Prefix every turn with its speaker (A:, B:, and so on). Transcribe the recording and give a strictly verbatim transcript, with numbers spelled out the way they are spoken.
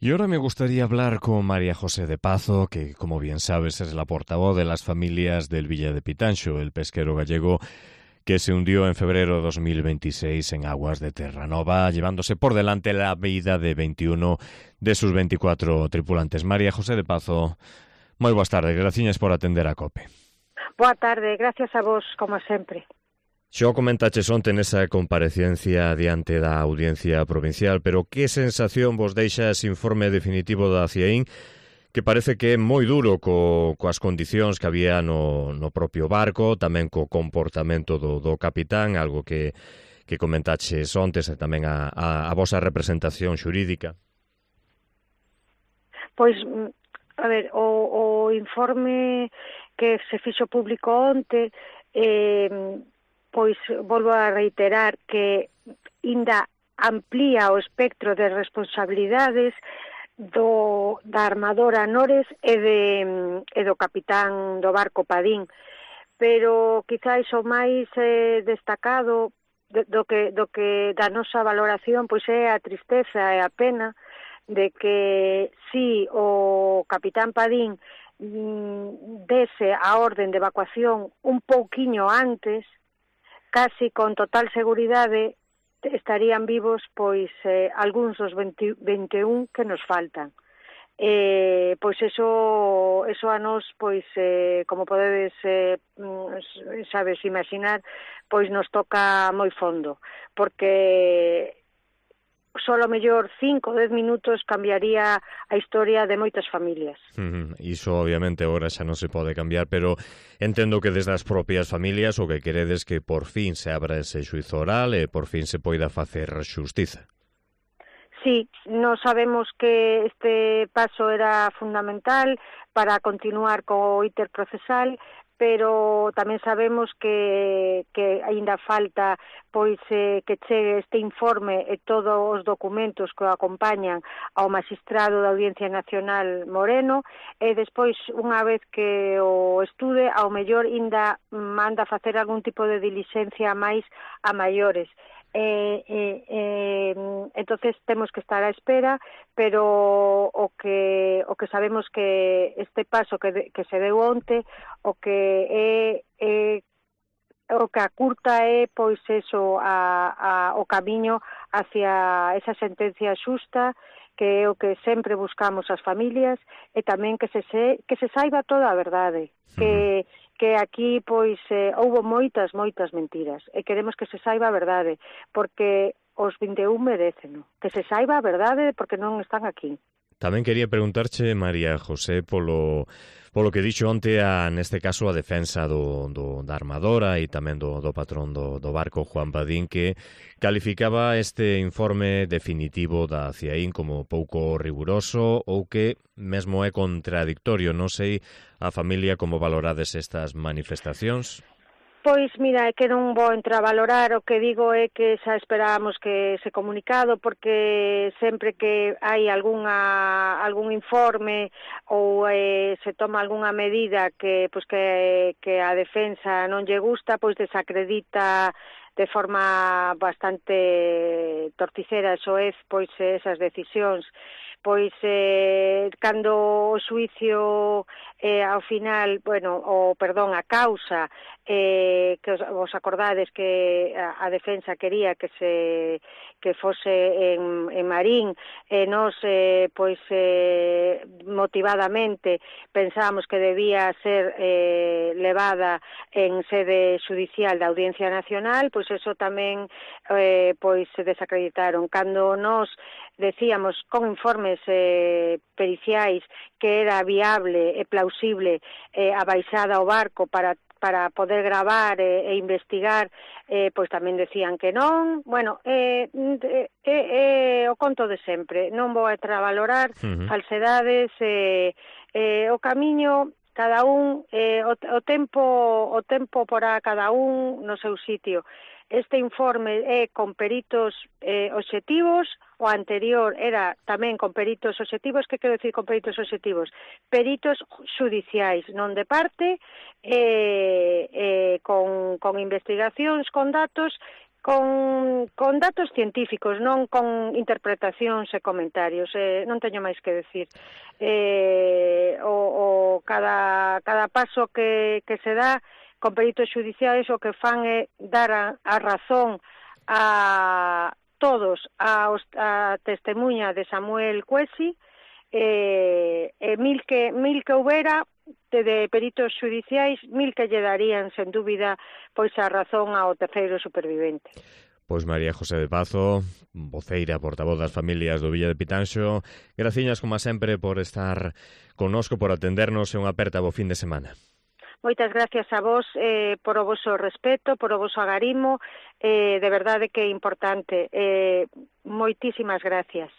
A: Y ahora me gustaría hablar con María José de Pazo, que, como bien sabes, es la portavoz de las familias del Villa de Pitanxo, el pesquero gallego que se hundió en febrero de dos mil veintiséis en aguas de Terranova, llevándose por delante la vida de veintiuno de sus veinticuatro tripulantes. María José de Pazo, moi boas tardes, graciñas por atender a COPE.
B: Boa tarde, gracias a vos, como sempre.
A: Xo comentaches onte nesa comparecencia diante da Audiencia Provincial, pero que sensación vos deixa ese informe definitivo da CIEIN, que parece que é moi duro co, coas condicións que había no, no propio barco, tamén co comportamento do, do capitán, algo que, que comentaches ontes, e tamén a, a, a vosa representación xurídica?
B: Pois, a ver, o, o informe que se fixo público onte, eh, pois volvo a reiterar que ainda amplía o espectro de responsabilidades do, da armadora Nores e, de, e do capitán do barco Padín, pero quizás o máis eh, destacado do, do, que, do que da nosa valoración pois é a tristeza e a pena de que si o capitán Padín mm, dese a orden de evacuación un pouquiño antes, casi con total seguridade estarían vivos pois eh, algúns dos veinte, veintiún que nos faltan. Eh, pois eso, eso a nos, pois, eh, como podedes eh, sabes imaginar, pois nos toca moi fondo, porque solo mellor cinco, dez minutos cambiaría a historia de moitas familias.
A: Uh-huh. Iso obviamente agora xa non se pode cambiar, pero entendo que desde as propias familias o que queredes que por fin se abra ese xuizo oral e por fin se poida facer xustiza.
B: Sí, non sabemos que este paso era fundamental para continuar co íter procesal, pero tamén sabemos que, que aínda falta pois eh, que chegue este informe e todos os documentos que o acompañan ao magistrado da Audiencia Nacional Moreno, e despois, unha vez que o estude, ao mellor aínda manda facer algún tipo de diligencia máis a maiores. Eh, eh, eh, entonces temos que estar á espera, pero o que o que sabemos que este paso que, de, que se deu onte, o que é, é o que acurta é pois eso a, a, o camiño hacia esa sentencia xusta, que é o que sempre buscamos as familias, e tamén que se, se, que se saiba toda a verdade, que que aquí pois eh, houbo moitas, moitas mentiras, e queremos que se saiba a verdade, porque os veintiún merecen, que se saiba a verdade porque non están aquí.
A: Tamén quería preguntarche, María José, polo, polo que dixo onte, a, neste caso, a defensa do, do, da armadora e tamén do, do patrón do, do barco, Juan Padín, que calificaba este informe definitivo da CIEIN como pouco riguroso ou que mesmo é contradictorio. Non sei a familia como valorades estas manifestacións.
B: Pois, mira, é que non vou entrar a valorar, o que digo é que xa esperábamos que ese comunicado, porque sempre que hai algunha, algún informe ou eh, se toma algunha medida que, pois que, que a defensa non lle gusta, pois desacredita de forma bastante torticera, soez, pois esas decisións. Pois eh, cando o xuicio eh, ao final, bueno, o perdón, a causa, eh, que os, vos acordades que a, a defensa quería que se que fose en, en Marín, e eh, nos eh, pois eh, motivadamente pensábamos que debía ser eh, levada en sede judicial da Audiencia Nacional, pois eso tamén eh, pois se desacreditaron. Cando nos decíamos con informes eh, periciais que era viable e plausible eh, a baixada ao barco para para poder gravar e, e investigar, eh, pois tamén decían que non. Bueno, é eh, eh, eh, o conto de sempre. Non vou a entrar a valorar uh-huh. falsedades, eh, eh, o camiño cada un, eh, o, o tempo o tempo porá cada un no seu sitio. Este informe é con peritos eh, obxectivos, o anterior era tamén con peritos obxectivos. Que quero dicir con peritos obxectivos? Peritos xudiciais, non de parte, eh, eh, con, con investigacións, con datos con, con datos científicos, non con interpretacións e comentarios, eh, non teño máis que decir. Eh, o, o cada, cada paso que, que se dá con peritos xudiciais o que fan é dar a, a razón a todos a, a testemunha de Samuel Cuesi, eh, e mil que, mil que houbera de, de peritos xudiciais, mil que lle darían, sen dúbida, pois a razón ao terceiro supervivente.
A: Pois María José de Pazo, voceira, portavoz das familias do Villa de Pitanxo, graciñas, como sempre, por estar connosco, por atendernos e unha aperta bo fin de semana.
B: Moitas gracias a vos eh, por o voso respeto, por o voso agarimo, eh, de verdade que é importante. Eh, moitísimas gracias.